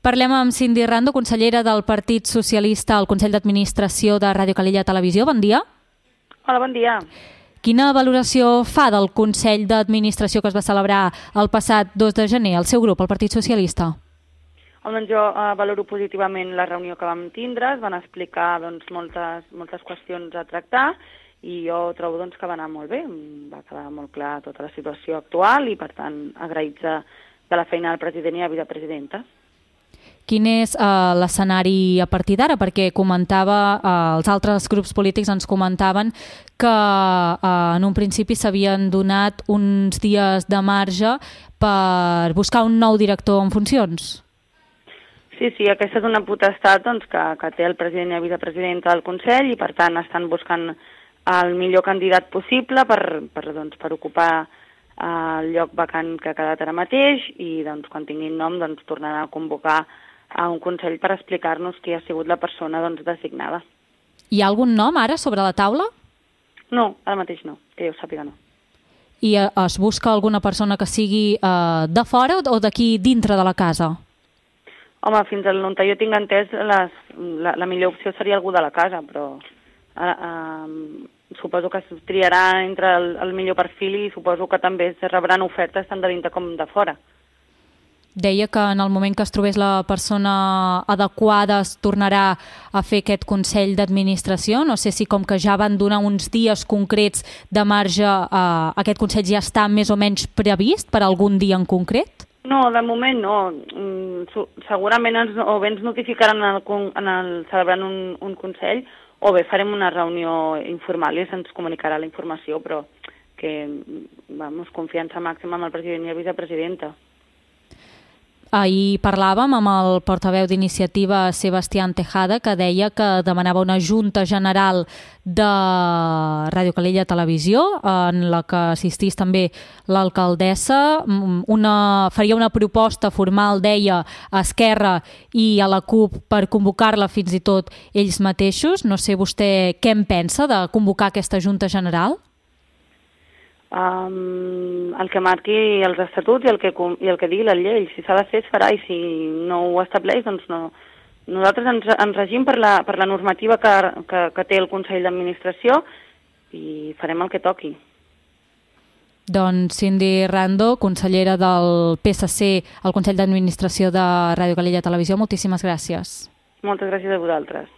Parlem amb Cindy Rando, consellera del Partit Socialista al Consell d'Administració de Ràdio Calella Televisió. Bon dia. Hola, bon dia. Quina valoració fa del Consell d'Administració que es va celebrar el passat 2 de gener, el seu grup, el Partit Socialista? Doncs jo valoro positivament la reunió que vam tindre, es van explicar moltes qüestions a tractar i jo trobo que va anar molt bé, va quedar molt clar tota la situació actual i per tant agraïts de la feina del president i la vicepresidenta. Quin és l'escenari a partir d'ara? Perquè els altres grups polítics ens comentaven que en un principi s'havien donat uns dies de marge per buscar un nou director en funcions. Sí, aquesta és una potestat que té el president i la vicepresidenta del Consell i per tant estan buscant el millor candidat possible per ocupar el lloc vacant que ha quedat ara mateix i quan tinguin nom tornaran a convocar a un Consell per explicar-nos qui ha sigut la persona designada. Hi ha algun nom ara sobre la taula? No, ara mateix no, que jo sàpiga no. I es busca alguna persona que sigui de fora o d'aquí dintre de la casa? Home, fins on jo tinc entès, la millor opció seria algú de la casa, però suposo que es triarà entre el millor perfil i suposo que també es rebran ofertes tant de dintre com de fora. Deia que en el moment que es trobés la persona adequada es tornarà a fer aquest Consell d'Administració. No sé si com que ja van donar uns dies concrets de marge, aquest Consell ja està més o menys previst per algun dia en concret? No, de moment no. Segurament o bé ens notificaran celebrant un Consell o bé farem una reunió informal i se'ns comunicarà la informació, però que confiança màxima amb el president i la vicepresidenta. Ahir parlàvem amb el portaveu d'Iniciativa, Sebastián Tejada, que deia que demanava una junta general de Ràdio Calella Televisió, en la que assistís també l'alcaldessa. Faria una proposta formal, deia, a Esquerra i a la CUP per convocar-la fins i tot ells mateixos. No sé vostè què en pensa de convocar aquesta junta general? El que marqui els estatuts i el que digui la llei. Si s'ha de fer, es farà, i si no ho estableix, doncs no. Nosaltres ens regim per la normativa que té el Consell d'Administració i farem el que toqui. Doncs Cindy Rando, consellera del PSC al Consell d'Administració de Ràdio Calella Televisió, moltíssimes gràcies. Moltes gràcies a vosaltres.